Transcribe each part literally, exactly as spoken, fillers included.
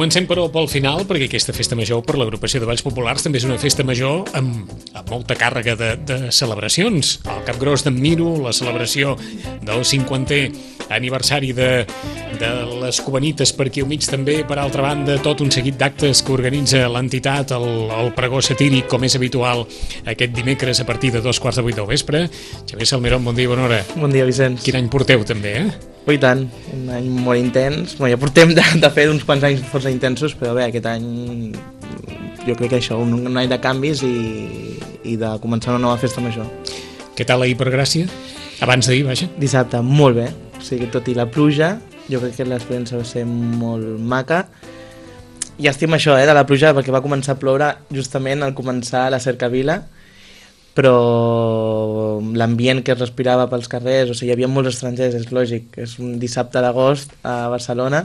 Comencem, però, pel final, perquè aquesta festa major per l'agrupació de Balls Populars també és una festa major amb, amb molta càrrega de, de celebracions. El Capgròs d'en Miro, la celebració del cinquantè aniversari de, de les Cubanites per aquí al mig, també, per altra banda, tot un seguit d'actes que organitza l'entitat, el, el pregó satíric, com és habitual, aquest dimecres a partir de dos quarts de vuit del vespre. Xavier Salmerón, bon dia i bona hora. Bon dia, Vicenç. Quin any porteu, també, eh? Oh, i tant, un any molt intens. Bueno, ja portem de, de fer uns quants anys força intensos, però bé, aquest any jo crec que això, un, un any de canvis i, i de començar una nova festa major. Què tal ahir per Gràcia? Abans d'ahir, vaja. Dissabte, molt bé. O sigui, tot i la pluja, jo crec que l'experiència va ser molt maca. I estim això, eh, de la pluja, perquè va començar a ploure justament al començar la cercavila, però l'ambient que es respirava pels carrers, o sigui, hi havia molts estrangers, és lògic, és un dissabte d'agost a Barcelona,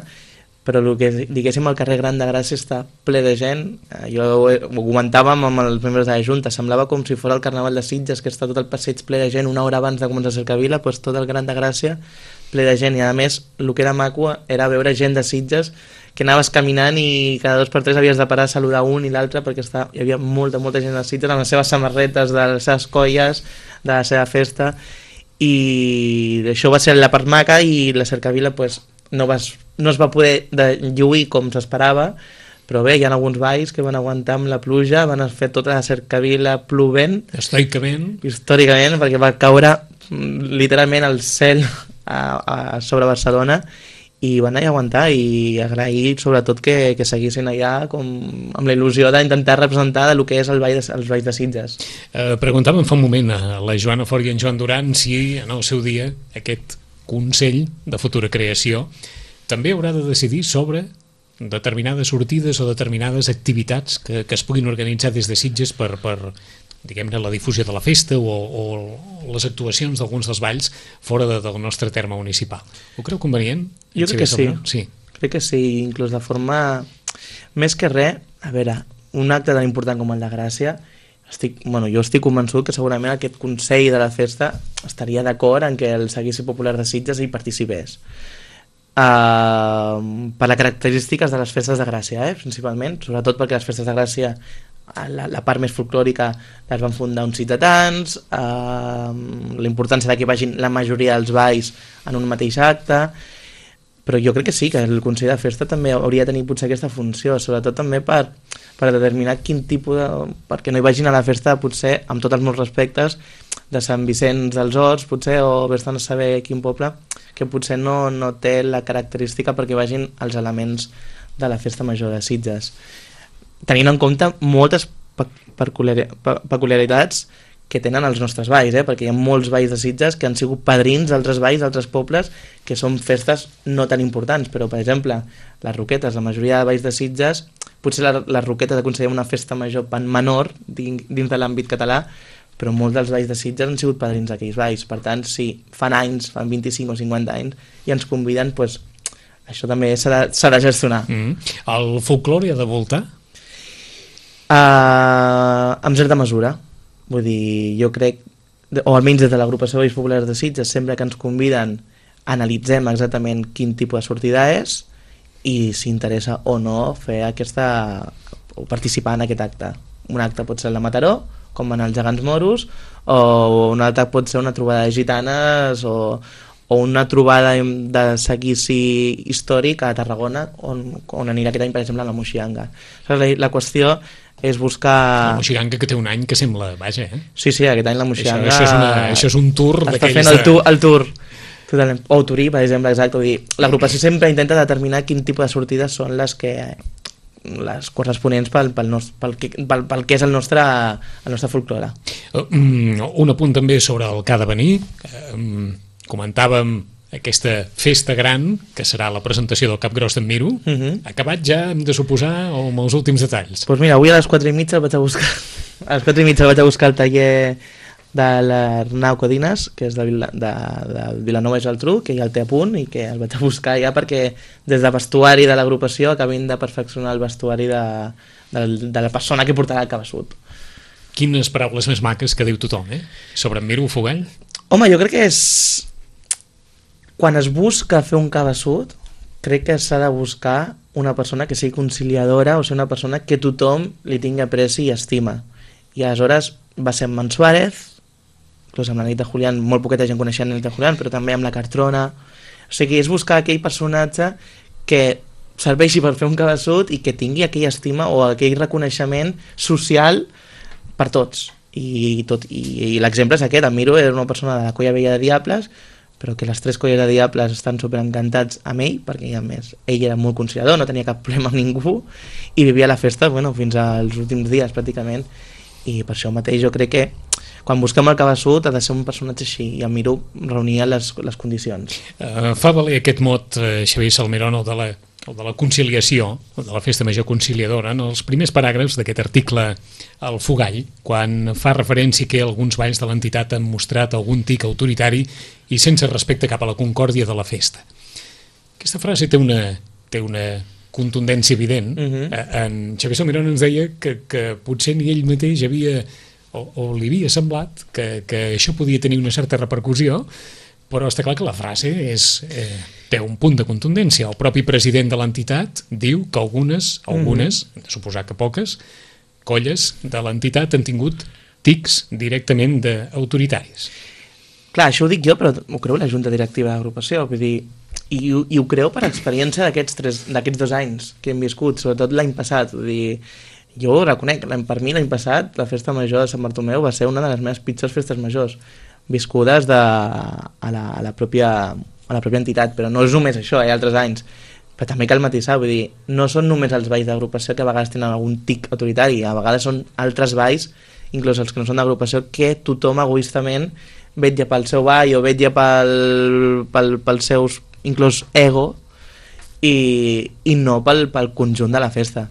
però el que diguéssim el carrer Gran de Gràcia està ple de gent. Jo ho, ho comentàvem amb els membres de la Junta, semblava com si fos el Carnaval de Sitges, que està tot el passeig ple de gent una hora abans de començar a Cercavila, doncs tot el Gran de Gràcia ple de gent, i a més el que era maco era veure gent de Sitges que anaves caminant i cada dos per tres havies de parar a saludar un i l'altre, perquè està, hi havia molta, molta gent de Sitges amb les seves samarretes, de les seves colles, de la seva festa, i això va ser la part maca. I la Cercavila pues, no, vas, no es va poder lluir com s'esperava, però bé, hi ha alguns balls que van aguantar amb la pluja, van fer tota la Cercavila plovent, històricament, històricament, perquè va caure literalment el cel a, a sobre Barcelona, i van anar a aguantar, i agrair sobretot que, que seguissin allà com, amb la il·lusió d'intentar representar el que és el ball de, els balls de Sitges. Eh, preguntàvem fa un moment a la Joana Fort i en Joan Duran si en el seu dia aquest Consell de Futura Creació també haurà de decidir sobre determinades sortides o determinades activitats que, que es puguin organitzar des de Sitges per, per diguem-ne, la difusió de la festa o, o les actuacions d'alguns dels balls fora de, del nostre terme municipal. Ho creu convenient? Jo crec que sí. sí. Crec que sí, inclús de forma... Més que res, a veure, un acte tan important com el de Gràcia, estic, bueno, jo estic convençut que segurament aquest Consell de la festa estaria d'acord en que el Seguici Popular de Sitges hi participés. Uh, per les característiques de les festes de Gràcia, eh, principalment, sobretot perquè les festes de Gràcia, la, la part més folclòrica, les van fundar uns ciutadans, uh, la importància de que vagin la majoria dels balls en un mateix acte, però jo crec que sí, que el Consell de Festa també hauria de tenir potser aquesta funció, sobretot també per, per determinar quin tipus de... perquè no hi vagin a la festa, potser, amb tots els meus respectes, de Sant Vicenç dels Horts, potser, o vés-te'n a saber quin poble, que potser no, no té la característica perquè vagin els elements de la festa major de Sitges. Tenint en compte moltes peculiaritats que tenen els nostres balls, eh? Perquè hi ha molts balls de Sitges que han sigut padrins d'altres balls, d'altres pobles, que són festes no tan importants, però, per exemple, les Roquetes, la majoria de balls de Sitges, potser la, les Roquetes aconseguim una festa major menor dins, dins de l'àmbit català, però molts dels balls de Sitges han sigut padrins d'aquells balls. Per tant, si fan anys, fan vint-i-cinc o cinquanta anys, i ens conviden, doncs, això també s'ha de, s'ha de gestionar. Mm. El folklore ha de voltar? Uh, amb certa mesura. Vull dir, jo crec, o almenys des de l'agrupació de Balls Populars de Sitges, sempre que ens conviden analitzem exactament quin tipus de sortida és i si interessa o no fer aquesta, o participar en aquest acte. Un acte pot ser la Mataró, com van els gegants moros, o un altre pot ser una trobada de gitanes o, o una trobada de seguici històric a Tarragona, on, on anirà aquest any, per exemple, a la Moixiganga. La, la qüestió és buscar... La Moixiganga, que té un any que sembla... Vaja, eh? Sí, sí, aquest any la Moixiganga... Això, això, és, una, això és un tour està d'aquells... fent el, tu, el tour. Totalment. O Turí, per exemple, exacte. Vull dir, l'agrupació sempre intenta determinar quin tipus de sortides són les que... les corresponents pel, pel, nos, pel, pel, pel que és el nostre, el nostre folklore. Un apunt també sobre el que ha de venir. Comentàvem aquesta festa gran, que serà la presentació del Capgròs d'en Miro. Uh -huh. Acabat ja, hem de suposar, o amb els últims detalls? Doncs pues mira, avui a les quatre i mitja el vaig a buscar a les quatre i mitja vaig a buscar el taller de l'Arnau Codines, que és de, Vila, de, de Vilanova i Geltrú, que ja el té a punt i que el vaig a buscar ja perquè des de vestuari de l'agrupació acabin de perfeccionar el vestuari de, de, de la persona que portarà el cabeçut. Quines paraules més maques que diu tothom, eh? Sobre en Miro Fogall? Home, jo crec que és... Quan es busca fer un cabeçut, crec que s'ha de buscar una persona que sigui conciliadora, o sigui, una persona que tothom li tingui apreci i estima. I aleshores va ser amb en Suárez, inclús amb la Anita Julián, molt poqueta gent coneixia la Anita Julián, però també amb la Cartrona. O sigui, és buscar aquell personatge que serveixi per fer un cabeçut i que tingui aquella estima o aquell reconeixement social per tots. I, tot, i, i l'exemple és aquest. En Miro era una persona de la colla vella de Diables, però que les tres colles de Diables estan superencantats amb ell, perquè a més ell era molt conciliador, no tenia cap problema amb ningú i vivia la festa, bueno, fins als últims dies pràcticament, i per això mateix jo crec que quan busquem el cabeçut ha de ser un personatge així, i en Miro reunia les, les condicions. Uh, fa valer aquest mot, uh, Xavier Salmerón, el de la el de la conciliació, el de la festa major conciliadora, en els primers paràgrafs d'aquest article al Fogall, quan fa referència que alguns balls de l'entitat han mostrat algun tic autoritari i sense respecte cap a la concòrdia de la festa. Aquesta frase té una, té una contundència evident. Uh-huh. En Xavier Salmerón ens deia que, que potser ni ell mateix havia, o, o li havia semblat que, que això podia tenir una certa repercussió, però està clar que la frase és, eh, té un punt de contundència. El propi president de l'entitat diu que algunes, algunes, mm-hmm. de suposar que poques, colles de l'entitat han tingut tics directament d'autoritaris. Clar, això ho dic jo, però ho creu la Junta Directiva d'Agrupació, vull dir, i, i ho creu per experiència d'aquests tres, d'aquests dos anys que hem viscut, sobretot l'any passat, vull dir, jo ho reconec, per mi l'any passat la festa major de Sant Bartomeu va ser una de les meves pitjors festes majors viscudes de, a, la, a, la pròpia, a la pròpia entitat, però no és només això, hi ha altres anys, però també cal matisar, vull dir, no són només els balls d'agrupació que a vegades tenen algun tic autoritari, a vegades són altres balls, inclús els que no són d'agrupació, que tothom egoistament vetlla pel seu ball o vetlla pel, pel, pels seus, inclús ego, i, i no pel, pel conjunt de la festa.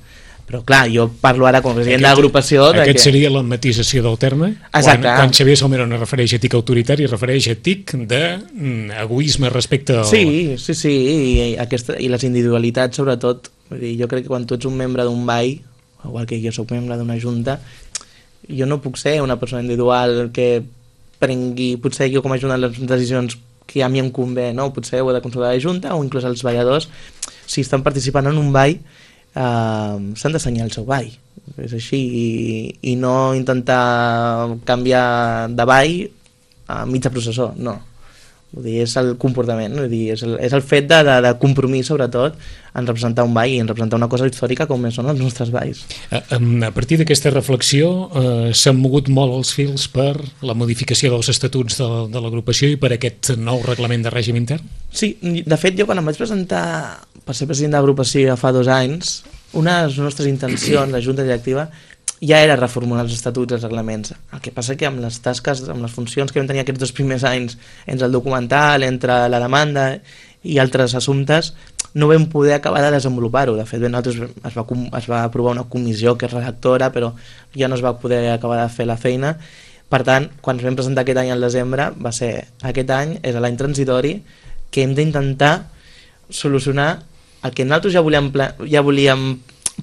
Però clar, jo parlo ara com a president d'agrupació... Aquest que... seria la matisació del terme? Exacte. Quan, quan Xavier Salmerón es refereix a tic autoritari, es refereix a tic d'egoisme respecte al... Sí, sí, sí, i, aquesta, i les individualitats sobretot. Vull dir, jo crec que quan tu ets un membre d'un ball, igual que jo soc membre d'una junta, jo no puc ser una persona individual que prengui, potser jo com a junta les decisions que a mi em convé, no? Potser ho he de consultar la junta o inclús els balladors, si estan participant en un ball, Uh, s'han d'assenyar el seu ball, és així, i, i no intentar canviar de ball a mitja processó, no. Vull dir, és el comportament, vull dir, és, el, és el fet de, de, de compromís, sobretot, en representar un ball i en representar una cosa històrica com són els nostres balls. A, a partir d'aquesta reflexió eh, s'han mogut molt els fils per la modificació dels estatuts de, de l'agrupació i per aquest nou reglament de règim intern? Sí, de fet, jo quan em vaig presentar per ser president d'agrupació fa dos anys, una de les nostres intencions, la Junta Directiva, ja era reformular els estatuts i els reglaments. El que passa que amb les tasques, amb les funcions que vam tenir aquests dos primers anys, entre el documental, entre la demanda i altres assumptes, no vam poder acabar de desenvolupar-ho. De fet, nosaltres es va, es va aprovar una comissió que és redactora, però ja no es va poder acabar de fer la feina. Per tant, quan ens vam presentar aquest any al desembre, va ser aquest any, és l'any transitori, que hem d'intentar solucionar el que nosaltres ja volíem, ja volíem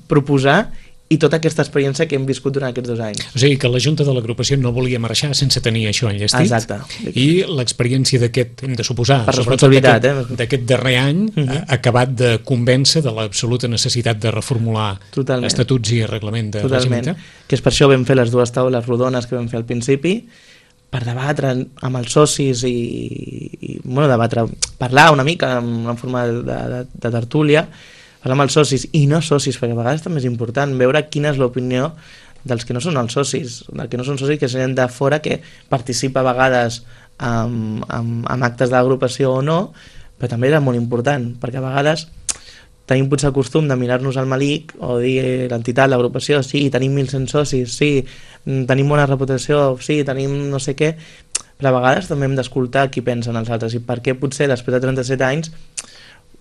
proposar i tota aquesta experiència que hem viscut durant aquests dos anys. O sigui que la Junta de l'Agrupació no volia marxar sense tenir això enllestit. Exacte. I l'experiència d'aquest, hem de suposar, per responsabilitat, d'aquest, eh? d'aquest darrer any, uh-huh. ha acabat de convèncer de l'absoluta necessitat de reformular Totalment. estatuts i reglament de règim intern. Que és per això vam fer les dues taules rodones que vam fer al principi, per debatre amb els socis i, i bueno, debatre, parlar una mica en una forma de, de, de tertúlia, parlar amb els socis i no socis, perquè a vegades també és important veure quina és l'opinió dels que no són els socis, dels que no són socis que són de fora, que participa a vegades en, en, en actes d'agrupació o no, però també era molt important, perquè a vegades tenim potser el costum de mirar-nos al malic o dir l'entitat, l'agrupació, sí, tenim mil cent socis, sí, tenim bona reputació, sí, tenim no sé què, però a vegades també hem d'escoltar qui pensen els altres i per què potser després de trenta-set anys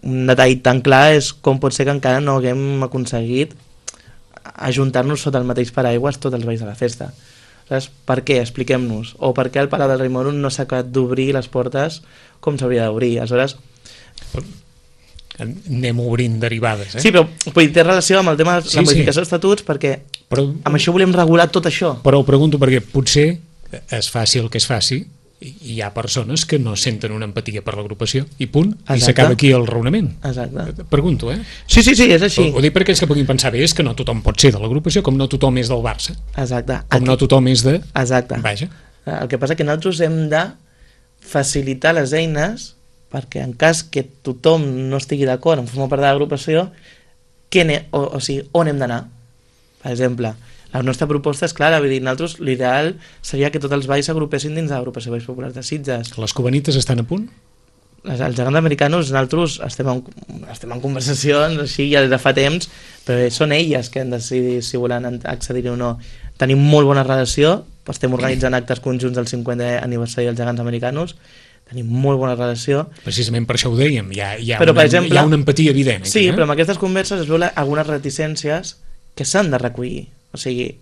un detall tan clar és com pot ser que encara no haguem aconseguit ajuntar-nos sota el mateix paraigües tots els balls de la festa. Saps? Per què? Expliquem-nos. O per què el Palau del Rei Moro no s'ha acabat d'obrir les portes com s'hauria d'obrir. Aleshores... anem obrint derivades, eh? Sí, però té relació amb el tema de sí, la modificació sí. dels estatuts, perquè però, amb això volem regular tot això. Però ho pregunto perquè potser es faci el que es faci, hi ha persones que no senten una empatia per l'agrupació i punt, Exacte. I s'acaba aquí el raonament. Exacte. Pregunto, eh? Sí, sí, sí, és així. Ho, ho dic per aquells que puguin pensar bé, és que no tothom pot ser de l'agrupació, com no tothom és del Barça, Exacte. com Aquí... no tothom és de... Exacte. Vaja. El que passa que nosaltres hem de facilitar les eines perquè en cas que tothom no estigui d'acord en formar part de l'agrupació, o, o sigui, on hem d'anar? Per exemple, la nostra proposta és clara, vull dir, nosaltres l'ideal seria que tots els balls s'agrupessin dins de l'agrupació Balls Populars de Sitges. Les cubanites estan a punt? Les, els gegants americanos, nosaltres estem en, estem en conversacions així ja des de fa temps, però són elles que han de decidir si volen accedir o no. Tenim molt bona relació, estem organitzant actes conjunts del cinquantè aniversari dels gegants americanos, tenim molt bona relació. Precisament per això ho dèiem, hi ha, hi ha, però, una, exemple, hi ha una empatia evident. Aquí, sí, eh? però en aquestes converses es veuen algunes reticències que s'han de recollir. O sigui,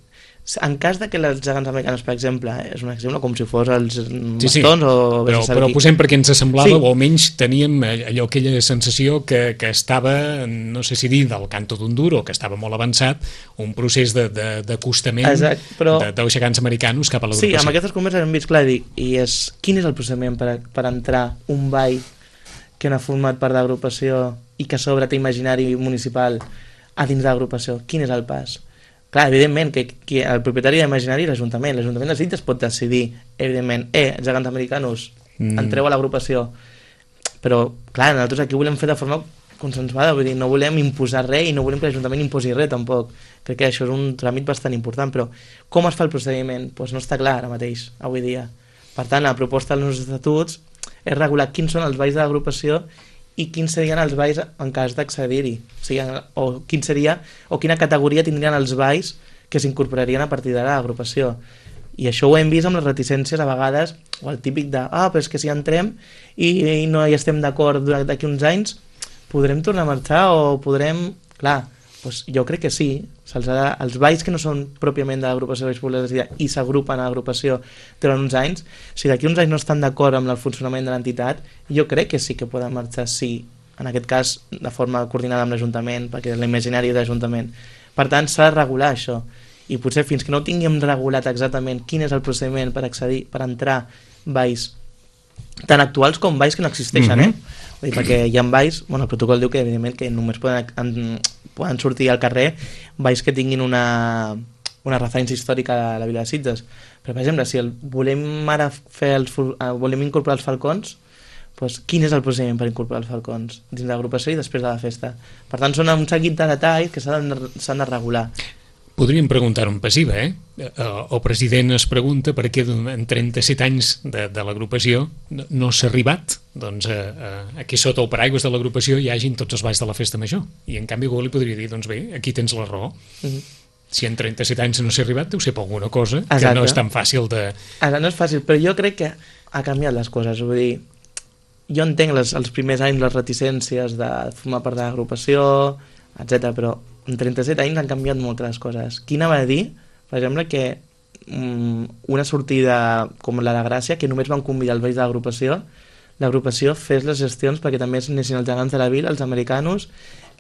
en cas de que els gegants americanos, per exemple, és un exemple com si fos els bastons sí, sí. o... Però, però posem perquè ens semblava, sí. o almenys teníem allò, aquella sensació que, que estava, no sé si dir, del canto d'un duro, que estava molt avançat, un procés d'acostament de, de, però... de, dels gegants americanos cap a l'agrupació. Sí, amb aquestes converses hem vist clar, dic, i és, quin és el procediment per, per entrar un ball que no ha format part de l'agrupació i que a sobre té imaginari municipal a dins de l'agrupació? Quin és el pas? Clar, evidentment, que, que el propietari d'imaginari és l'Ajuntament. L'Ajuntament de Sitges pot decidir, evidentment, eh, els gegants americanos, mm. entreu a l'agrupació. Però, clar, nosaltres aquí ho volem fer de forma consensuada, vull dir, no volem imposar res i no volem que l'Ajuntament imposi res, tampoc. Crec que això és un tràmit bastant important, però com es fa el procediment? Doncs pues no està clar ara mateix, avui dia. Per tant, la proposta dels nostres estatuts és regular quins són els balls de l'agrupació i quins serien els balls en cas d'accedir-hi, o, sigui, o, quin seria, o quina categoria tindrien els balls que s'incorporarien a partir de l'agrupació. I això ho hem vist amb les reticències a vegades, o el típic de, ah, però és que si entrem i, i no hi estem d'acord d'aquí uns anys, podrem tornar a marxar o podrem... Clar, doncs jo crec que sí, se'ls ha de, els balls que no són pròpiament de l'agrupació Balls Populars de Sitges i s'agrupen a l'agrupació durant uns anys, si d'aquí uns anys no estan d'acord amb el funcionament de l'entitat, jo crec que sí que poden marxar, sí, en aquest cas de forma coordinada amb l'Ajuntament, perquè és l'imaginari de l'Ajuntament. Per tant, s'ha de regular això, i potser fins que no tinguem regulat exactament quin és el procediment per accedir, per entrar balls tant actuals com balls que no existeixen, mm-hmm. eh? Vull dir, perquè hi ha balls, bueno, el protocol diu que evidentment que només poden, en, poden sortir al carrer balls que tinguin una, una referència històrica a la vila de Sitges. Però, per exemple, si el, volem ara fer els, volem incorporar els falcons, doncs quin és el procediment per incorporar els falcons dins de l'agrupació i després de la festa? Per tant, són un seguit de detalls que s'han de, s'han de regular. Podríem preguntar en passiva, eh? El president es pregunta per què en trenta-set anys de, de l'agrupació no, no s'ha arribat doncs, a, a, aquí sota el paraigües de l'agrupació hi hagin tots els balls de la festa major. I en canvi algú li podria dir, doncs bé, aquí tens la raó. Mm-hmm. Si en trenta-set anys no s'ha arribat, deu ser per alguna cosa. Exacte. Que no és tan fàcil de... Ara no és fàcil, però jo crec que ha canviat les coses. Vull dir, jo entenc les, els primers anys les reticències de formar part de l'agrupació, etcètera, però en trenta-set anys han canviat moltes les coses. Quina va dir, per exemple, que um, una sortida com la de Gràcia, que només van convidar els balls de l'agrupació, l'agrupació fes les gestions perquè també anessin els gegants de la vila, els americanos,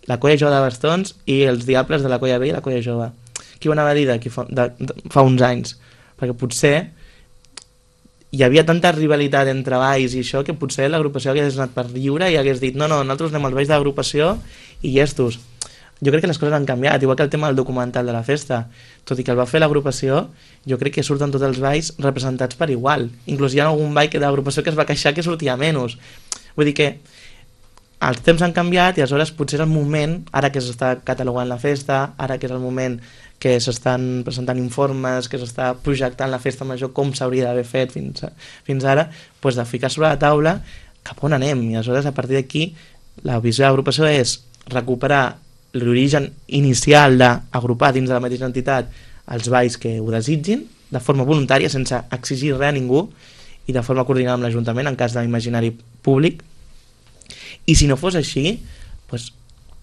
la colla jove de bastons i els diables de la colla vella i la colla jove. Qui ho anava a dir d'aquí fa, de, de, fa uns anys? Perquè potser hi havia tanta rivalitat entre balls i això que potser l'agrupació hagués anat per lliure i hagués dit no, no, nosaltres anem als balls de l'agrupació i llestos. Jo crec que les coses han canviat, igual que el tema del documental de la festa. Tot i que el va fer l'agrupació, jo crec que surten tots els balls representats per igual. Inclús hi ha algun ball de l'agrupació que es va queixar que sortia menys. Vull dir que els temps han canviat i aleshores potser és el moment, ara que s'està catalogant la festa, ara que és el moment que s'estan presentant informes, que s'està projectant la festa major com s'hauria d'haver fet fins, a, fins ara, doncs de ficar sobre la taula cap on anem. I aleshores a partir d'aquí la visió de l'agrupació és recuperar l'origen inicial d'agrupar dins de la mateixa entitat els balls que ho desitgin, de forma voluntària, sense exigir res a ningú, i de forma coordinada amb l'Ajuntament, en cas d'imaginari públic. I si no fos així, doncs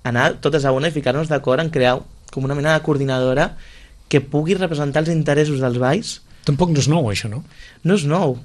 anar totes a una i ficar-nos d'acord en crear com una mena de coordinadora que pugui representar els interessos dels balls. Tampoc no és nou, això, no? No és nou.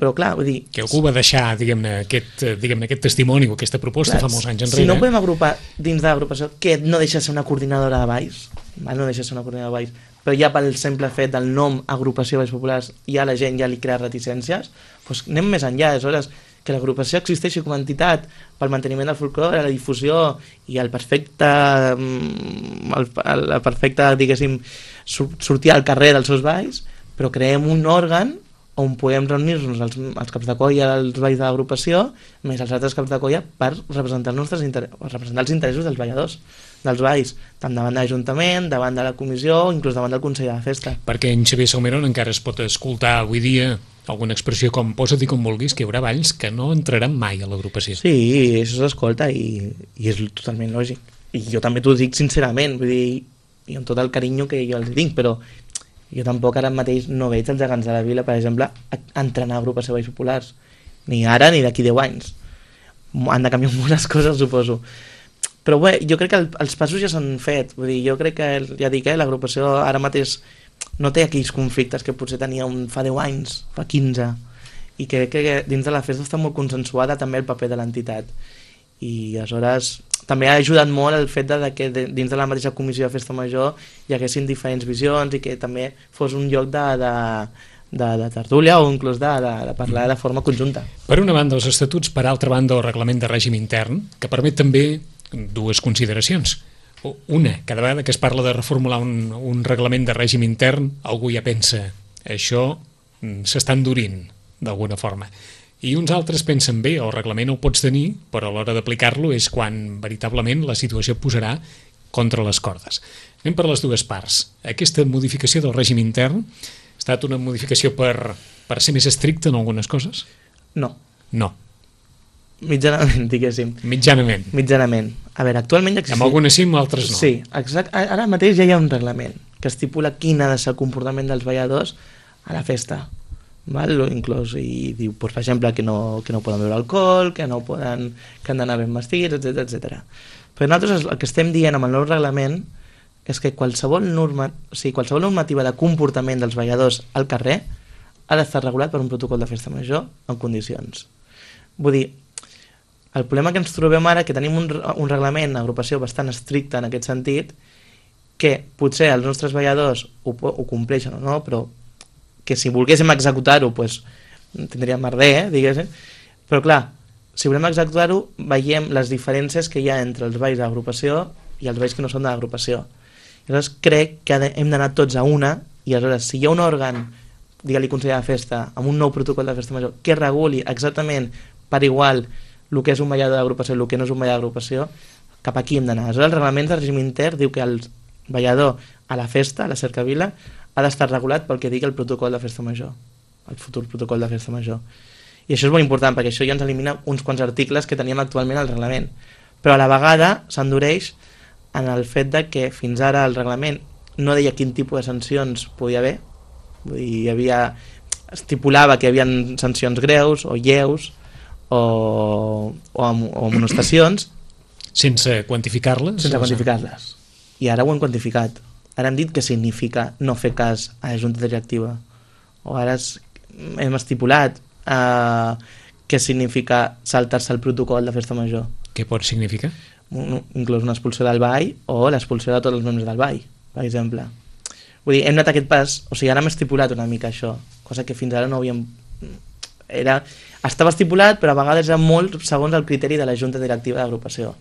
Però clar, vull dir... Que algú va deixar, diguem-ne, aquest, diguem-ne, aquest testimoni o aquesta proposta clar, fa molts anys enrere. Si no podem agrupar dins de l'agrupació, què no deixa de ser una coordinadora de balls? val? No deixa de ser una coordinadora de Valls, però ja pel simple fet del nom agrupació de Valls Populars ja la gent ja li crea reticències, doncs anem més enllà, aleshores que l'agrupació existeixi com a entitat pel manteniment del folclore, la difusió i el perfecte el, el perfecte, diguéssim, sortir al carrer dels seus balls, però creem un òrgan on podem reunir-nos els, els caps de colla, els balls de l'agrupació, més els altres caps de colla per representar els, nostres inter... representar els interessos dels balladors, dels balls, tant davant de l'Ajuntament, davant de la comissió o inclús davant del Consell de la Festa. Perquè en Xavier Salmeron encara es pot escoltar avui dia alguna expressió com posa-t'hi com vulguis, que hi haurà balls que no entraran mai a l'agrupació. Sí, això s'escolta i, i és totalment lògic. I jo també t'ho dic sincerament, vull dir, i amb tot el carinyo que jo els tinc, però jo tampoc ara mateix no veig els gegants de la vila, per exemple, entrenar a agrupació de balls populars. Ni ara ni d'aquí deu anys. Han de canviar moltes coses, suposo. Però bé, jo crec que el, els passos ja s'han fet. Vull dir, jo crec que, ja dic, eh, l'agrupació ara mateix no té aquells conflictes que potser tenia un, fa deu anys, fa quinze, i crec que dins de la festa està molt consensuada també el paper de l'entitat. I aleshores també ha ajudat molt el fet de que dins de la mateixa comissió de festa major hi haguessin diferents visions i que també fos un lloc de, de, de, de tertúlia o inclús de, de, de parlar de forma conjunta. Per una banda els estatuts, per altra banda el reglament de règim intern, que permet també dues consideracions. Una, cada vegada que es parla de reformular un, un reglament de règim intern, algú ja pensa, això s'està endurint d'alguna forma. I uns altres pensen, bé, el reglament ho pots tenir, però a l'hora d'aplicar-lo és quan veritablement la situació posarà contra les cordes. Anem per les dues parts. Aquesta modificació del règim intern ha estat una modificació per, per ser més estricta en algunes coses? No. No. Mitjanament, diguéssim. Mitjanament. Mitjanament. A veure, actualment ja existeix... Amb algunes sí, amb altres no. Sí, exacte. Ara mateix ja hi ha un reglament que estipula quin ha de ser el comportament dels balladors a la festa. Val? Inclús, i diu, pues, per exemple, que no, que no poden beure alcohol, que no poden, que han d'anar ben vestits, etcètera, etcètera. Però nosaltres el que estem dient amb el nou reglament és que qualsevol, norma, o sigui, qualsevol normativa de comportament dels balladors al carrer ha d'estar regulat per un protocol de festa major en condicions. Vull dir, el problema que ens trobem ara que tenim un, un reglament d'agrupació bastant estricte en aquest sentit, que potser els nostres balladors ho, ho compleixen o no, però que si volguéssim executar-ho pues, tindríem merder, eh, diguéssim. Però clar, si volem executar-ho veiem les diferències que hi ha entre els balls d'agrupació i els balls que no són de l'agrupació. Llavors crec que hem d'anar tots a una i aleshores si hi ha un òrgan, digue-li Consell de Festa, amb un nou protocol de festa major que reguli exactament per igual el que és un ballador d'agrupació i el que no és un ballador d'agrupació, cap aquí hem d'anar. Aleshores el reglament de règim intern diu que el ballador a la festa, a la cercavila, ha d'estar regulat pel que digui el protocol de festa major, el futur protocol de festa major. I això és molt important, perquè això ja ens elimina uns quants articles que teníem actualment al reglament. Però a la vegada s'endureix en el fet de que fins ara el reglament no deia quin tipus de sancions podia haver, vull dir, hi havia, estipulava que hi havia sancions greus o lleus o, o, o amonestacions sense quantificar-les? Sense quantificar-les. I ara ho hem quantificat. Ara hem dit què significa no fer cas a la junta directiva. O ara es, hem estipulat eh, què significa saltar-se el protocol de festa major. Què pot significar? Un, inclús una expulsió del ball o l'expulsió de tots els membres del ball, per exemple. Vull dir, hem anat aquest pas, o sigui, ara hem estipulat una mica això, cosa que fins ara no havíem... Era, estava estipulat, però a vegades era molt segons el criteri de la junta directiva d'agrupació.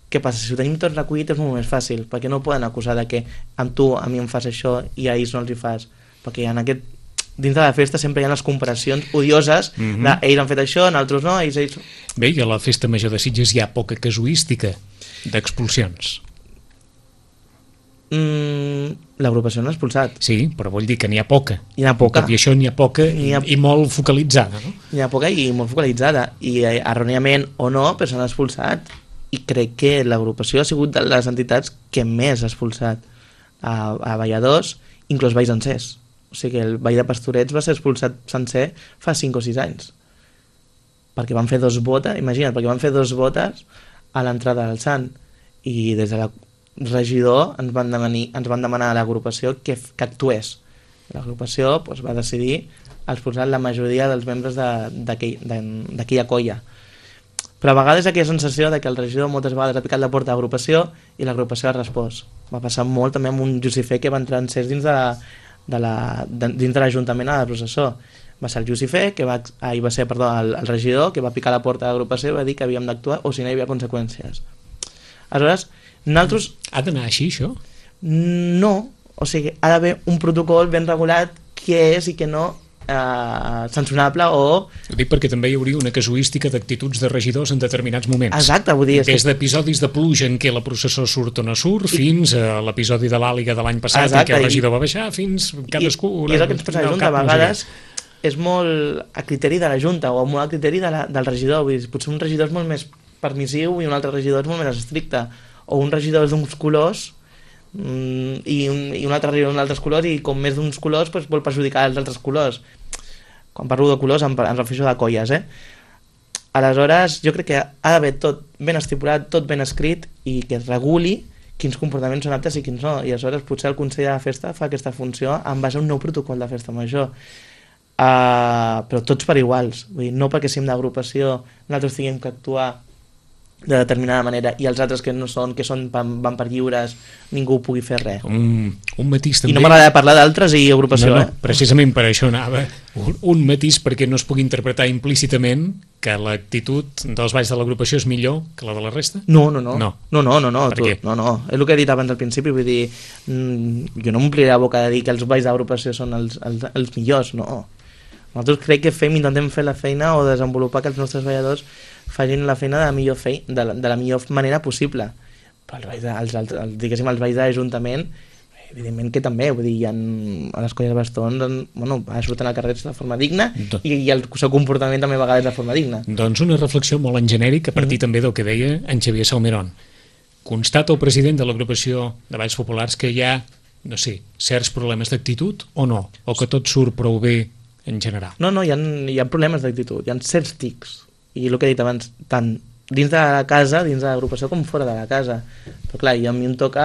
Què passa? Si ho tenim tot recollit és molt més fàcil, perquè no poden acusar de que amb tu a mi em fas això i a ells no els hi fas, perquè en aquest, dins de la festa sempre hi ha les comparacions odioses, mm-hmm. de ells han fet això, nosaltres no, ells, ells... Bé, i a la festa major de Sitges hi ha poca casuística d'expulsions. Mm, l'agrupació no ha expulsat. Sí, però vull dir que n'hi ha poca. Hi ha poca. Tot i això n'hi ha poca i, ha... i molt focalitzada, no? N'hi ha poca i molt focalitzada, i erròniament o no, però s'han expulsat. I crec que l'agrupació ha sigut de les entitats que més ha expulsat a, a balladors, inclús balls sencers. O sigui que el ball de Pastorets va ser expulsat sencer fa cinc o sis anys. Perquè van fer dos botes, imagina't, perquè van fer dos botes a l'entrada del Sant. I des de la regidor ens van demanar, ens van demanar a l'agrupació que, que actués. L'agrupació doncs, va decidir expulsar la majoria dels membres d'aquella de, colla. Però a vegades aquella sensació de que el regidor moltes vegades ha picat la porta a l'agrupació i l'agrupació ha respost. Va passar molt també amb un Jussifé que va entrar en ses dins de la, de la, de, dins de l'Ajuntament a la processó. Va ser el Jussifé, que va, ah, va ser perdó, el, el regidor, que va picar la porta a l'agrupació i va dir que havíem d'actuar o si no hi havia conseqüències. Aleshores, nosaltres... Ha d'anar així, això? No, o sigui, ha d'haver un protocol ben regulat què és i què no eh, sancionable o... Ho dic perquè també hi hauria una casuística d'actituds de regidors en determinats moments. Exacte, vull dir... Des d'episodis de pluja en què la processó surt o no surt, I... fins a l'episodi de l'Àliga de l'any passat Exacte, en què el regidor i... va baixar, fins cadascú... I, i és el que ens passa a la Junta, a vegades és molt a criteri de la Junta o molt a criteri de la, del regidor, vull dir, potser un regidor és molt més permissiu i un altre regidor és molt més estricte, o un regidor és d'uns colors mm, i, un, i un altre regidor d'uns altres colors i com més d'uns colors pues, vol perjudicar els altres colors. Quan parlo de colors em, em refereixo de colles, eh? Aleshores, jo crec que ha d'haver tot ben estipulat, tot ben escrit i que es reguli quins comportaments són aptes i quins no, i aleshores potser el Consell de la Festa fa aquesta funció en base a un nou protocol de festa major. Uh, però tots per iguals, vull dir, no perquè siguem d'agrupació nosaltres tinguem que actuar de determinada manera i els altres que no són, que són van per lliures, ningú pugui fer res. Un, un matís també... I no m'agrada parlar d'altres i agrupació, no, no, eh? Precisament per això anava. Un, un matís perquè no es pugui interpretar implícitament que l'actitud dels balls de l'agrupació és millor que la de la resta? No, no, no. No, no, no, no, no, per tu, què? no, no. És el que he dit abans al principi, vull dir, mmm, jo no m'ompliré la boca de dir que els balls d'agrupació són els, els, els millors, no. Nosaltres crec que fem, intentem fer la feina o desenvolupar que els nostres balladors facin la feina de la millor, fei, de la, de la millor manera possible. Però els balls, de, els, els, els, diguéssim, els balls d'Ajuntament, evidentment que també, vull dir, hi ha, a les colles de bastons, bueno, surten al carrer de forma digna Do... i, i el seu comportament també a vegades de forma digna. Doncs una reflexió molt en genèric a partir mm. també del que deia en Xavier Salmerón. Constata el president de l'agrupació de Balls Populars que hi ha, no sé, certs problemes d'actitud o no? O que tot surt prou bé en general? No, no, hi ha, hi ha problemes d'actitud, hi ha certs tics, i el que he dit abans, tant dins de la casa, dins de l'agrupació, com fora de la casa. Però clar, a mi em toca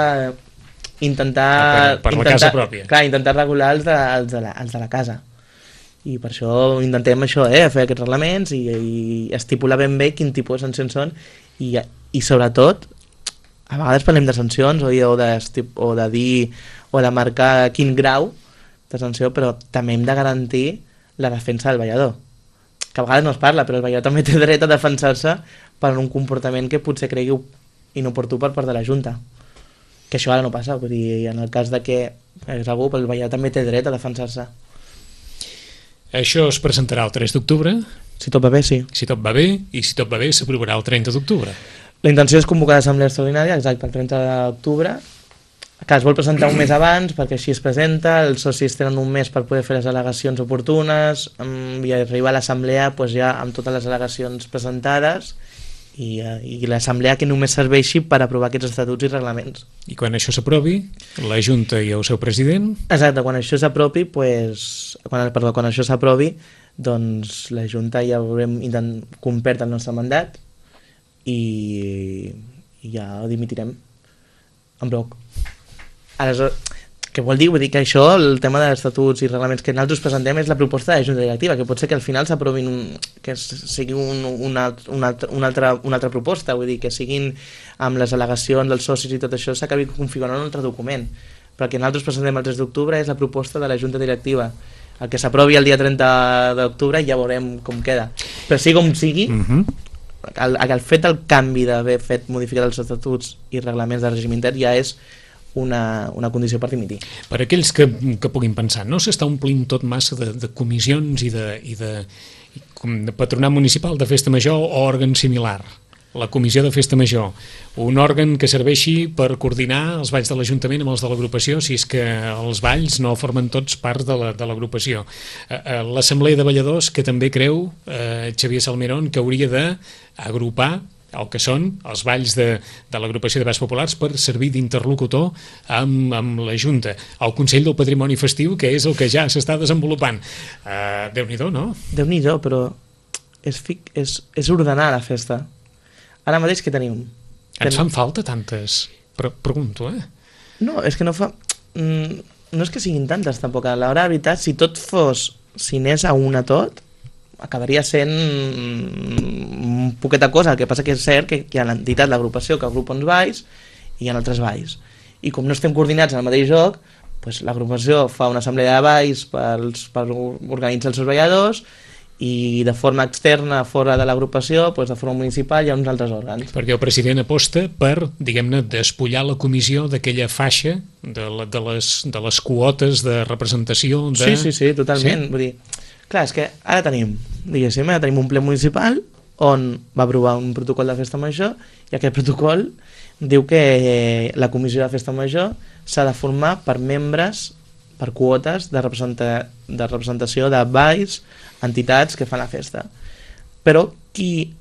intentar... Per, per intentar, la casa pròpia. Clar, intentar regular els de, els, de la, els de la casa. I per això intentem això, eh, fer aquests reglaments i, i estipular ben bé quin tipus de sancions són i, i sobretot, a vegades parlem de sancions o, o, de, o de dir o de marcar quin grau de sanció, però també hem de garantir la defensa del ballador, que a vegades no es parla, però el ballador també té dret a defensar-se per un comportament que potser cregui inoportú per part de la Junta, que això ara no passa, vull dir, en el cas de que és algú, el ballador també té dret a defensar-se. Això es presentarà el tres d'octubre? Si tot va bé, sí. Si tot va bé, i si tot va bé s'aprovarà el trenta d'octubre. La intenció és convocar l'assemblea extraordinària, exacte, el trenta d'octubre, que es vol presentar un mes abans perquè així es presenta, els socis tenen un mes per poder fer les al·legacions oportunes i arribar a l'assemblea pues, ja amb totes les al·legacions presentades i, i l'assemblea que només serveixi per aprovar aquests estatuts i reglaments. I quan això s'aprovi, la Junta i el seu president? Exacte, quan això s'aprovi, pues, quan, perdó, quan això s'aprovi, doncs la Junta ja haurem complert el nostre mandat i, i ja dimitirem en bloc. Aleshores, què vol dir? Vull dir que això, el tema dels estatuts i reglaments que nosaltres presentem és la proposta de la Junta Directiva, que pot ser que al final s'aprovin un, que sigui un, una, una, una, altra, una altra proposta, vull dir que siguin amb les al·legacions dels socis i tot això s'acabi configurant un altre document, però el que nosaltres presentem el tres d'octubre és la proposta de la Junta Directiva. El que s'aprovi el dia trenta d'octubre ja veurem com queda, però sigui com sigui, uh-huh. el, el fet del canvi d'haver fet modificar els estatuts i reglaments de règim intern ja és Una, una condició per dimitir. Per aquells que, que puguin pensar, no s'està omplint tot massa de, de comissions i de, i de, com de patronat municipal de festa major o òrgan similar? La comissió de festa major, un òrgan que serveixi per coordinar els balls de l'Ajuntament amb els de l'agrupació, si és que els balls no formen tots part de la, de l'agrupació. L'assemblea de balladors, que també creu eh, Xavier Salmerón que hauria d'agrupar el que són els balls de, de l'agrupació de balls populars per servir d'interlocutor amb, amb la Junta. El Consell del Patrimoni Festiu, que és el que ja s'està desenvolupant. Uh, Déu-n'hi-do, no? Déu-n'hi-do, però és, és, és ordenar la festa. Ara mateix què tenim? Ens fan falta tantes? Pre pregunto, eh? No, és que no fa... No és que siguin tantes, tampoc. A l'hora de veritat, si tot fos... Si anés a una tot, acabaria sent un poqueta cosa. El que passa que és cert que hi ha l'entitat, l'agrupació que agrupa uns balls i hi ha altres balls, i com no estem coordinats en el mateix joc, doncs l'agrupació fa una assemblea de balls pels, per organitzar els seus balladors, i de forma externa, fora de l'agrupació, doncs de forma municipal, hi ha uns altres òrgans. Perquè el president aposta per, diguem-ne, despullar la comissió d'aquella faixa de, la, de, les, de les quotes de representació de... Sí, sí, sí, totalment. Sí? Vull dir, clar, és que ara tenim, diguéssim, ara tenim un ple municipal on va aprovar un protocol de festa major, i aquest protocol diu que la comissió de festa major s'ha de formar per membres, per quotes de, representa, de representació de balls, entitats que fan la festa. Però qui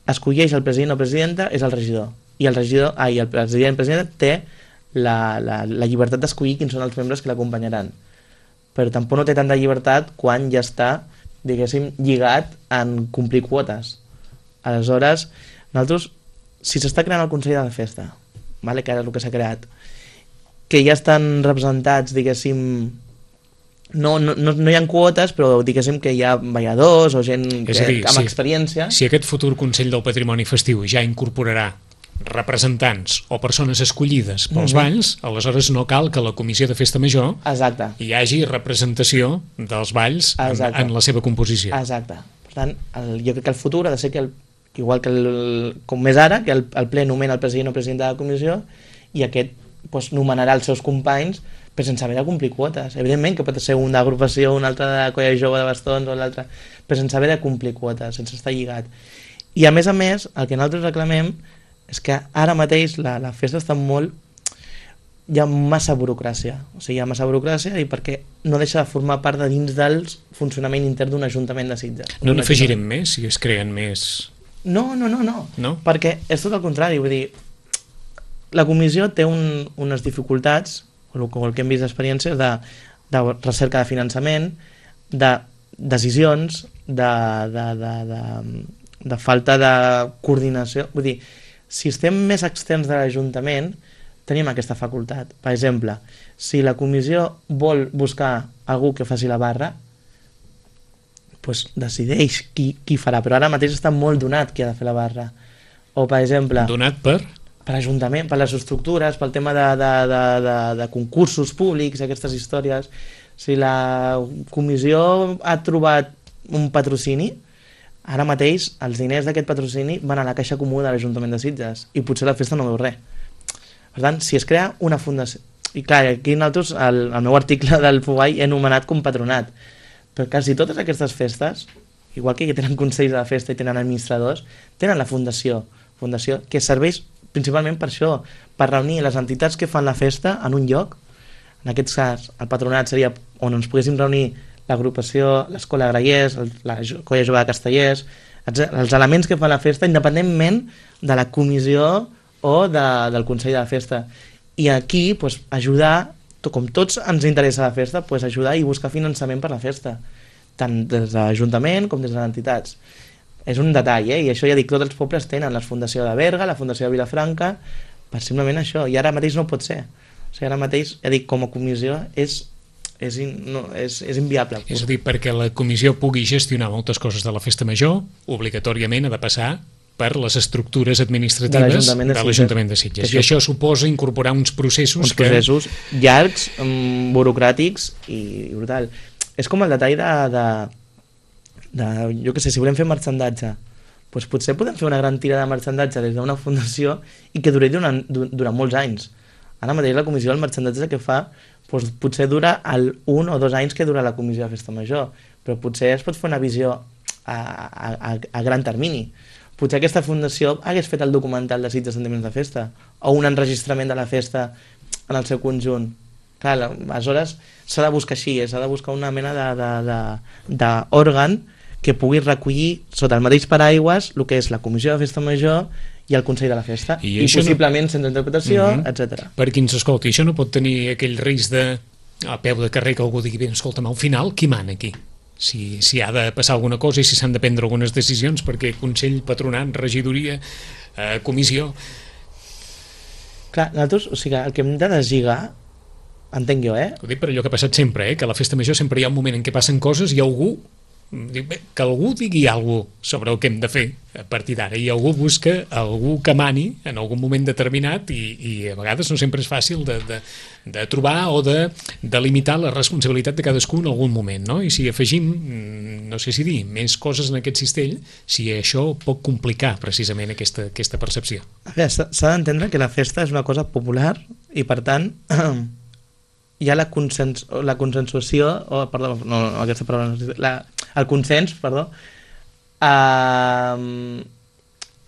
escolleix el president o presidenta és el regidor, i el regidor, ai, el president o presidenta té la, la, la llibertat d'escollir quins són els membres que l'acompanyaran, però tampoc no té tanta llibertat quan ja està, diguéssim, lligat en complir quotes. Aleshores, nosaltres, si s'està creant el Consell de la Festa, vale, que ara és el que s'ha creat, que ja estan representats, diguéssim, no, no, no, no hi ha quotes, però diguéssim que hi ha balladors o gent que, dir, amb si, experiència. Si aquest futur Consell del Patrimoni Festiu ja incorporarà representants o persones escollides pels mm-hmm. balls, aleshores no cal que la Comissió de Festa Major Exacte. hi hagi representació dels balls en, en la seva composició. Exacte. Per tant, el, jo crec que el futur ha de ser que, el, igual que el, com més ara, que el, el ple nomena el president o presidenta de la comissió, i aquest doncs, nomenarà els seus companys, però sense haver de complir quotes. Evidentment que pot ser un d'agrupació, un altre de colla jove de bastons o l'altre, però sense haver de complir quotes, sense estar lligat. I a més a més, el que nosaltres reclamem és que ara mateix la, la festa està molt... hi ha massa burocràcia, o sigui, hi ha massa burocràcia i perquè no deixa de formar part de dins del funcionament intern d'un ajuntament de Sitges. No n'afegirem més si es creen més? No, no, no, no, no, perquè és tot el contrari, vull dir, la comissió té un, unes dificultats, o el que hem vist d'experiències, de, de recerca de finançament, de decisions, de, de, de, de, de falta de coordinació. Vull dir, si estem més externs de l'Ajuntament, tenim aquesta facultat. Per exemple, si la comissió vol buscar algú que faci la barra, doncs decideix qui, qui farà, però ara mateix està molt donat qui ha de fer la barra. O, per exemple... Donat per? Per l'Ajuntament, per les estructures, pel tema de, de, de, de, de concursos públics, aquestes històries. Si la comissió ha trobat un patrocini, ara mateix els diners d'aquest patrocini van a la caixa comú de l'Ajuntament de Sitges i potser la festa no veu res. Per tant, si es crea una fundació... I clar, aquí nosaltres, el, el meu article del Fugai he anomenat com patronat, però quasi totes aquestes festes, igual que tenen consells de la festa i tenen administradors, tenen la fundació, fundació que serveix principalment per això, per reunir les entitats que fan la festa en un lloc. En aquest cas, el patronat seria on ens poguéssim reunir l'agrupació, l'Escola de Grallers, la Colla Jove de Castellers, els elements que fan la festa, independentment de la comissió o de, del Consell de la Festa. I aquí, pues, ajudar, com tots ens interessa la festa, pues, ajudar i buscar finançament per la festa, tant des de l'Ajuntament com des de les entitats. És un detall, eh? I això ja dic, tots els pobles tenen la Fundació de Berga, la Fundació de Vilafranca, per simplement això, i ara mateix no pot ser. O sigui, ara mateix, ja dic, com a comissió és, és, in, no, és, és inviable. És a dir, perquè la comissió pugui gestionar moltes coses de la festa major, obligatorìament ha de passar per les estructures administratives de l'Ajuntament de Sitges. I això suposa incorporar uns processos uns processos que... llargs, um, burocràtics i, i brutal. És com el detall de... de De, jo què sé, si volem fer marxandatge, doncs potser podem fer una gran tira de marxandatge des d'una fundació i que duri durant, durant molts anys. Ara mateix la comissió del marxandatge que fa doncs potser dura el un o dos anys que dura la comissió de festa major, però potser es pot fer una visió a, a, a gran termini. Potser aquesta fundació hagués fet el documental de Sitges Sentiments de Festa o un enregistrament de la festa en el seu conjunt. Clar, aleshores s'ha de buscar així, s'ha de buscar una mena d'òrgan que pugui recollir sota el mateix paraigües el que és la Comissió de Festa Major i el Consell de la Festa, i, i possiblement no... sense interpretació, uh-huh. etcètera. Per qui ens escolti, això no pot tenir aquell risc de, a peu de carrer, que algú digui, bé, escolta'm, al final, qui mana aquí? Si, si ha de passar alguna cosa i si s'han de prendre algunes decisions, perquè Consell, Patronat, Regidoria, eh, Comissió... Clar, nosaltres, o sigui, el que hem de deslligar, entenc jo, eh? Ho dic per allò que ha passat sempre, eh? Que a la festa major sempre hi ha un moment en què passen coses i algú dic, bé, que algú digui alguna cosa sobre el que hem de fer a partir d'ara, i algú busca algú que mani en algun moment determinat, i, i a vegades no sempre és fàcil de, de, de trobar o de, de limitar la responsabilitat de cadascú en algun moment, no? I si afegim, no sé si dir, més coses en aquest cistell, si això pot complicar precisament aquesta, aquesta percepció. A veure, s'ha d'entendre que la festa és una cosa popular i, per tant, hi ha la, consens, la consensuació, o, perdó, no, no, aquesta paraula no, la, el consens, perdó, eh,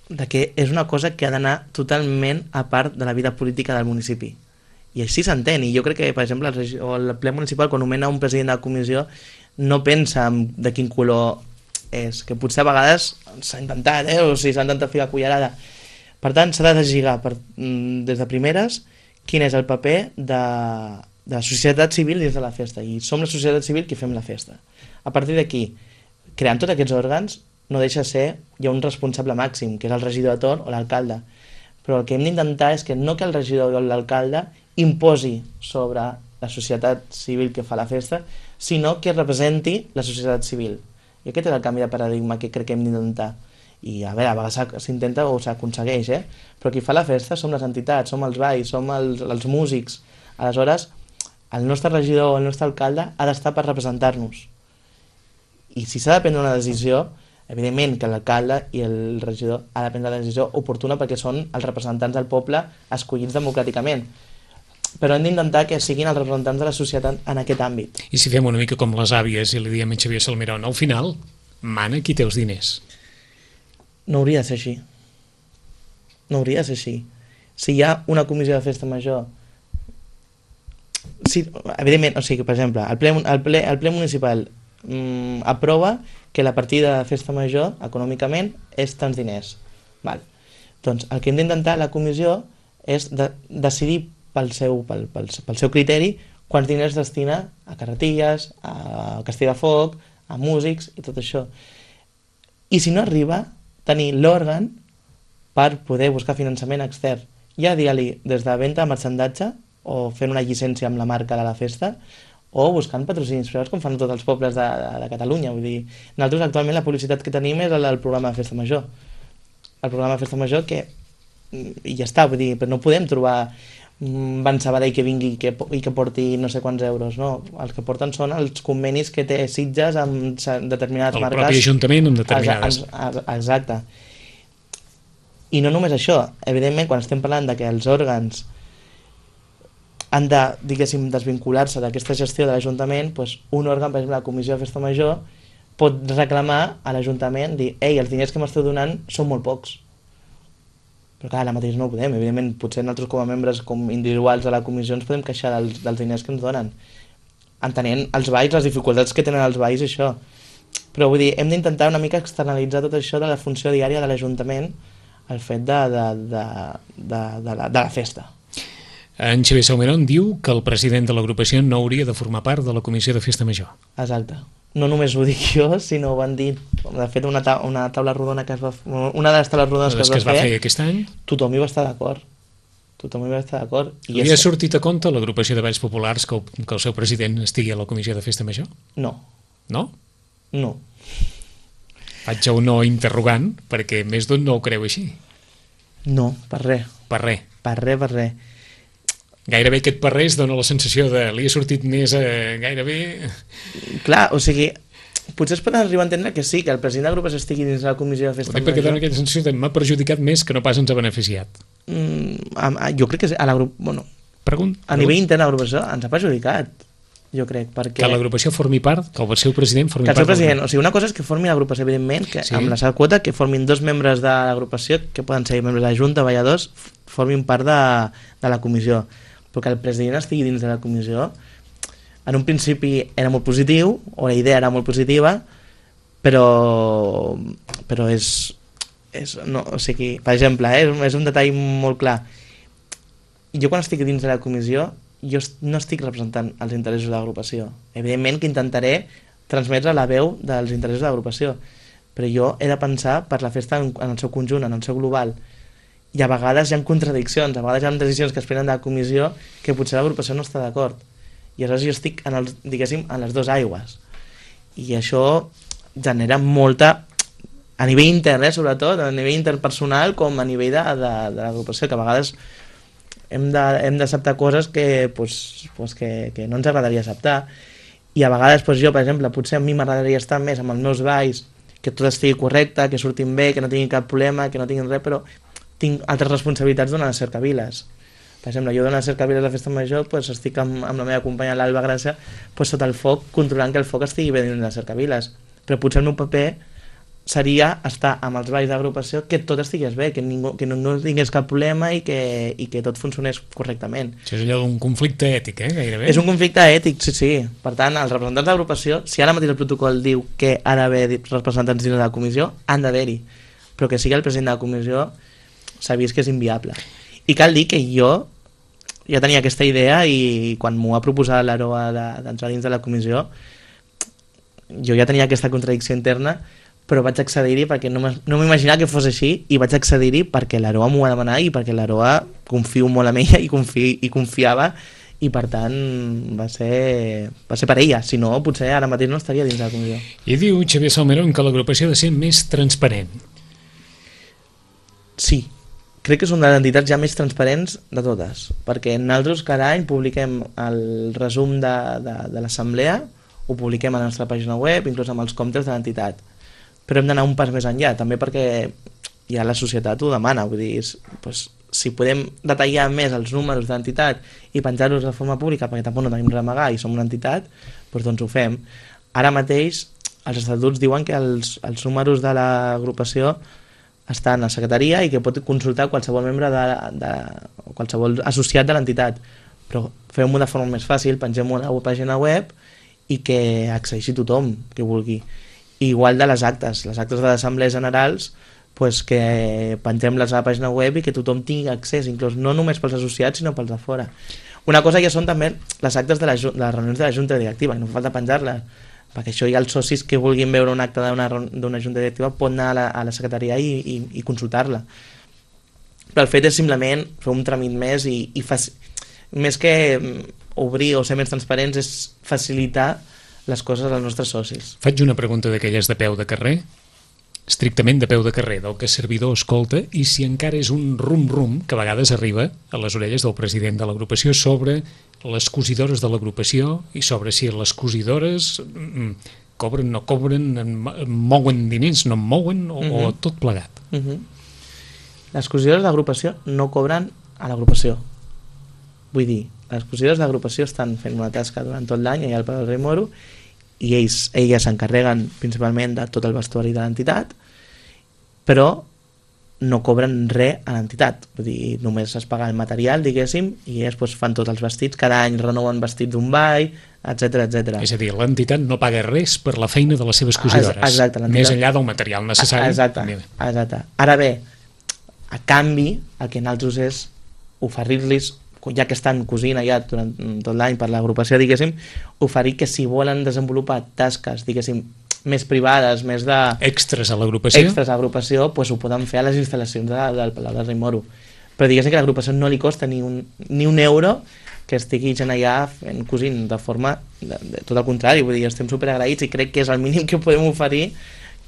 de que és una cosa que ha d'anar totalment a part de la vida política del municipi. I així s'entén, i jo crec que, per exemple, el, o el ple municipal, quan nomena un president de la comissió, no pensa en de quin color és, que potser a vegades s'ha intentat, eh, o sigui, s'ha intentat ficar cullerada. Per tant, s'ha de deslligar per, des de primeres quin és el paper de, de la societat civil dins de la festa, i som la societat civil qui fem la festa. A partir d'aquí, creant tots aquests òrgans, no deixa de ser, hi ha un responsable màxim, que és el regidor de torn o l'alcalde, però el que hem d'intentar és que no que el regidor o l'alcalde imposi sobre la societat civil que fa la festa, sinó que representi la societat civil. I aquest és el canvi de paradigma que crec que hem d'intentar. I a veure, a vegades s'intenta o s'aconsegueix, eh? Però qui fa la festa som les entitats, som els balls, som els, els músics. Aleshores, el nostre regidor o el nostre alcalde ha d'estar per representar-nos. I si s'ha de prendre una decisió, evidentment que l'alcalde i el regidor ha de prendre la decisió oportuna perquè són els representants del poble escollits democràticament. Però hem d'intentar que siguin els representants de la societat en aquest àmbit. I si fem una mica com les àvies i li diem a Xavier Salmerón, al final mana qui té els diners. No hauria de ser així. No hauria de ser així. Si hi ha una comissió de festa major, si, evidentment, o sigui, per exemple, el ple, el ple, el ple municipal mm, aprova que la partida de festa major, econòmicament, és tants diners. Val. Doncs el que hem d'intentar la comissió és de, decidir pel seu, pel, pel, pel seu criteri quants diners destina a carretilles, a Castelldefels, a músics i tot això. I si no arriba, tenir l'òrgan per poder buscar finançament extern. Ja digue-li des de venda a marxandatge o fent una llicència amb la marca de la festa o buscant patrocinis privats com fan tots els pobles de, de, de Catalunya. Vull dir, nosaltres actualment la publicitat que tenim és el, el programa de festa major. El programa de festa major que i ja està, vull dir, però no podem trobar Ban Sabadell que vingui que, i que porti no sé quants euros, no. Els que porten són els convenis que té Sitges amb determinades el marques. El propi ajuntament amb determinades. Exacte. I no només això, evidentment quan estem parlant de que els òrgans han de, diguéssim, desvincular-se d'aquesta gestió de l'Ajuntament, doncs un òrgan, per exemple la Comissió de Festa Major, pot reclamar a l'Ajuntament, dir, ei, els diners que m'esteu donant són molt pocs. Però clar, ara mateix no ho podem, evidentment, potser nosaltres com a membres com individuals de la comissió ens podem queixar dels, dels diners que ens donen, entenent els balls, les dificultats que tenen els balls i això. Però vull dir, hem d'intentar una mica externalitzar tot això de la funció diària de l'Ajuntament, el fet de, de, de, de, de, la, de la festa. En Xavier Salmerón diu que el president de l'agrupació no hauria de formar part de la comissió de festa major. Exacte. No només ho dic jo, sinó ho van dir, de fet, una, ta una taula rodona que es va fer, una de les taules rodones que es va, que es va fer, fer aquest any, tothom hi va estar d'acord. Tothom hi va estar d'acord. Li ha sortit a compte a l'agrupació de balls populars que el, que el seu president estigui a la comissió de festa major? No. No? No. Faig un no interrogant, perquè més d'un no ho creu així. No, per res. Per res. Per res, per res. Gairebé aquest per res dona la sensació de li ha sortit més eh, gairebé... Clar, o sigui, potser es pot arribar a entendre que sí, que el president de l'agrupació estigui dins de la comissió de festa major. Perquè dona aquella sensació de m'ha perjudicat més que no pas ens ha beneficiat. Mm, a, a, jo crec que a l'agrupació... Bueno, pregunt, a nivell intern de l'agrupació ens ha perjudicat, jo crec, perquè... Que l'agrupació formi part, que el seu president formi part... Que el seu president, o sigui, una cosa és que formi l'agrupació, evidentment, que sí. Amb la seva quota, que formin dos membres de l'agrupació, que poden ser membres de la Junta, balladors, formin part de, de la comissió. Però que el president estigui dins de la comissió, en un principi era molt positiu, o la idea era molt positiva, però, però és, és no, o sigui, per exemple, eh, és, és un detall molt clar. Jo quan estic dins de la comissió, jo no estic representant els interessos de l'agrupació. Evidentment que intentaré transmetre la veu dels interessos de l'agrupació, però jo he de pensar per la festa en, en el seu conjunt, en el seu global. I a vegades hi ha contradiccions, a vegades hi ha decisions que es prenen de la comissió que potser l'agrupació no està d'acord. I aleshores jo estic, en els, diguéssim, en les dues aigües. I això genera molta, a nivell intern, eh, sobretot, a nivell interpersonal com a nivell de, de, de l'agrupació, que a vegades hem d'acceptar coses que, pues, pues que, que no ens agradaria acceptar, i a vegades pues, jo, per exemple, potser a mi m'agradaria estar més amb els meus balls, que tot estigui correcte, que surtin bé, que no tinguin cap problema, que no tinguin res, però tinc altres responsabilitats d'una cercaviles. Per exemple, jo d'una cercaviles a la festa major pues, estic amb, amb la meva companya l'Alba Gràcia pues, sota el foc, controlant que el foc estigui bé dins de la cercaviles, però potser el meu paper seria estar amb els balls d'agrupació que tot estigués bé, que, ningú, que no, no tingués cap problema i que, i que tot funcionés correctament. Això és allò d'un conflicte ètic, eh, gairebé? És un conflicte ètic, sí, sí. Per tant, els representants d'agrupació, si ara mateix el protocol diu que ha d'haver representants dins de la comissió, han d'haver-hi. Però que sigui el president de la comissió s'ha vist que és inviable. I cal dir que jo ja tenia aquesta idea i quan m'ho ha proposat l'Aroa d'entrar dins de la comissió, jo ja tenia aquesta contradicció interna, però vaig accedir-hi perquè no m'imaginava que fos així i vaig accedir-hi perquè l'Aroa m'ho va demanar i perquè l'Aroa confio molt en ella i, confi, i confiava i per tant va ser, va ser per ella, si no potser ara mateix no estaria dins de la comissió. I diu Xavier Salmerón que l'agrupació ha de ser més transparent. Sí, crec que és una de les entitats ja més transparents de totes, perquè nosaltres cada any publiquem el resum de, de, de l'assemblea, ho publiquem a la nostra pàgina web, inclús amb els comptes de l'entitat. Però hem d'anar un pas més enllà, també perquè ja la societat ho demana, vull dir, doncs, si podem detallar més els números de l'entitat i penjar-los de forma pública, perquè tampoc no tenim res a amagar i som una entitat, doncs, doncs ho fem. Ara mateix els estatuts diuen que els, els números de l'agrupació estan a secretaria i que pot consultar qualsevol membre de, de qualsevol associat de l'entitat, però fem-ho de forma més fàcil, pengem-ho a la pàgina web i que accedeixi tothom que vulgui. Igual de les actes, les actes de les assemblees generals, pues que pengem-les a la pàgina web i que tothom tingui accés, inclús no només pels associats sinó pels de fora. Una cosa ja són també les actes de, la, de les reunions de la Junta Directiva, que no fa falta penjar-les, perquè això ja els socis que vulguin veure un acte d'una Junta Directiva poden anar a la, a la secretaria i, i, i consultar-la. Però el fet és simplement fer un tràmit més i, i faci... més que obrir o ser més transparents és facilitar les coses als nostres socis. Faig una pregunta d'aquelles de peu de carrer, estrictament de peu de carrer, del que el servidor escolta, i si encara és un rum-rum que a vegades arriba a les orelles del president de l'agrupació sobre les cosidores de l'agrupació i sobre si les cosidores cobren, no cobren, mouen diners, no en mouen, o, uh-huh. o tot plegat. Uh-huh. Les cosidores d'agrupació no cobren a l'agrupació. Vull dir, les cosidores d'agrupació estan fent una tasca durant tot l'any allà al Palau del Rei Moro i ells, elles s'encarreguen principalment de tot el vestuari de l'entitat, però no cobren res a l'entitat. Vull dir, només es paga el material, diguéssim, i elles pues, fan tots els vestits, cada any renoven vestits d'un ball, etcètera, etcètera. És a dir, l'entitat no paga res per la feina de les seves cosidores, exacte, més enllà del material necessari. Exacte, exacte. Ara bé, a canvi, el que nosaltres és oferir-los, ja que estan cosint allà durant tot l'any per l'agrupació, diguéssim, oferir que si volen desenvolupar tasques, diguéssim, més privades, més de... Extras a l'agrupació? Extras a l'agrupació, doncs ho poden fer a les instal·lacions de, del Palau del Rei Moro. Però diguéssim que a l'agrupació no li costa ni un, ni un euro que estigui gent allà fent cosint de forma... De, de, tot el contrari, vull dir, estem superagraïts i crec que és el mínim que podem oferir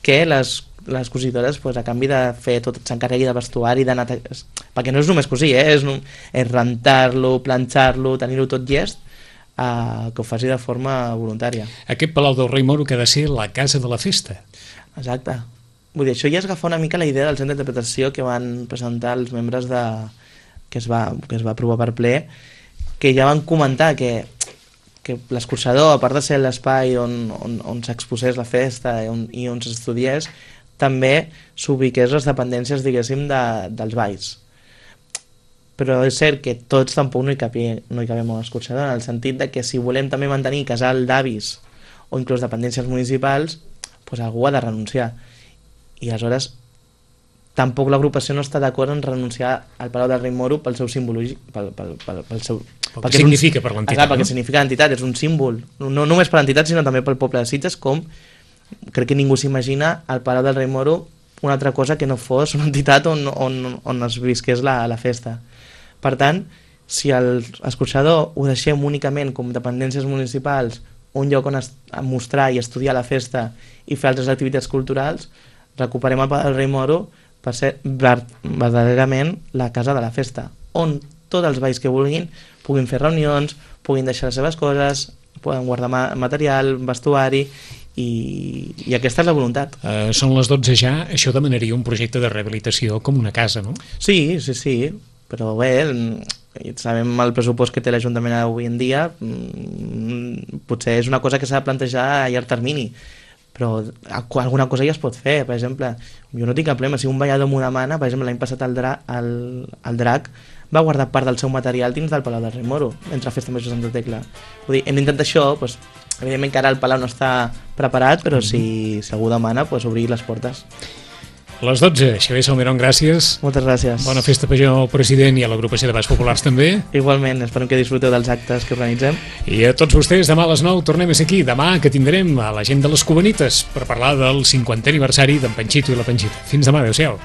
que les, les cosidores, pues, a canvi de fer tot, s'encarregui de vestuari, d'anar... Perquè no és només cosir, eh? és, és rentar-lo, planxar-lo, tenir-ho tot llest, eh, que ho faci de forma voluntària. Aquest Palau del Rei Moro que ha de ser la casa de la festa. Exacte. Vull dir, això ja és agafar una mica la idea del centre d'interpretació que van presentar els membres de... que es va, que es va aprovar per ple, que ja van comentar que que l'escorxador, a part de ser l'espai on, on, on s'exposés la festa i on, i on s'estudiés, també s'ubiqués les dependències, diguéssim, de, dels balls. Però és cert que tots tampoc no hi, capie, no hi cabem a l'escorxador, en el sentit de que si volem també mantenir casal d'avis o inclús dependències municipals, doncs algú ha de renunciar. I aleshores tampoc l'agrupació no està d'acord en renunciar al Palau del Rei Moro pel seu símbol, pel, pel, pel, pel seu... Pel que significa per l'entitat, no? Perquè significa l'entitat, és un símbol, no només per l'entitat sinó també pel poble de Sitges, com crec que ningú s'imagina al Palau del Rei Moro una altra cosa que no fos una entitat on, on, on es visqués la, la festa. Per tant, si l'escorxador ho deixem únicament com dependències municipals un lloc on mostrar i estudiar la festa i fer altres activitats culturals, recuperem el Palau del Rei Moro per ser verdaderament la casa de la festa, on tots els balls que vulguin puguin fer reunions, puguin deixar les seves coses, poden guardar material, vestuari, i, i aquesta és la voluntat. Uh, són les dotze ja, això demanaria un projecte de rehabilitació com una casa, no? Sí, sí, sí, però bé, sabem el pressupost que té l'Ajuntament avui en dia, potser és una cosa que s'ha de plantejar a llarg termini, però alguna cosa ja es pot fer. Per exemple, jo no tinc cap problema, si un ballador m'ho demana, per exemple l'any passat el, dra el, el drac va guardar part del seu material dins del Palau del Rei Moro, entre Festa Major Santa Tecla. Vull dir, hem d'intentar això, doncs, evidentment que ara el Palau no està preparat, però si, si algú demana, doncs, obrir les portes. Les dotze, Xavier Salmerón, gràcies. Moltes gràcies. Bona festa major al president i a l'agrupació de balls populars també. Igualment, esperem que disfruteu dels actes que organitzem. I a tots vostès, demà a les nou tornem a ser aquí. Demà que tindrem a la gent de les Cubanites per parlar del cinquantè aniversari d'en Panxito i la Panxita. Fins demà, adeu-siau.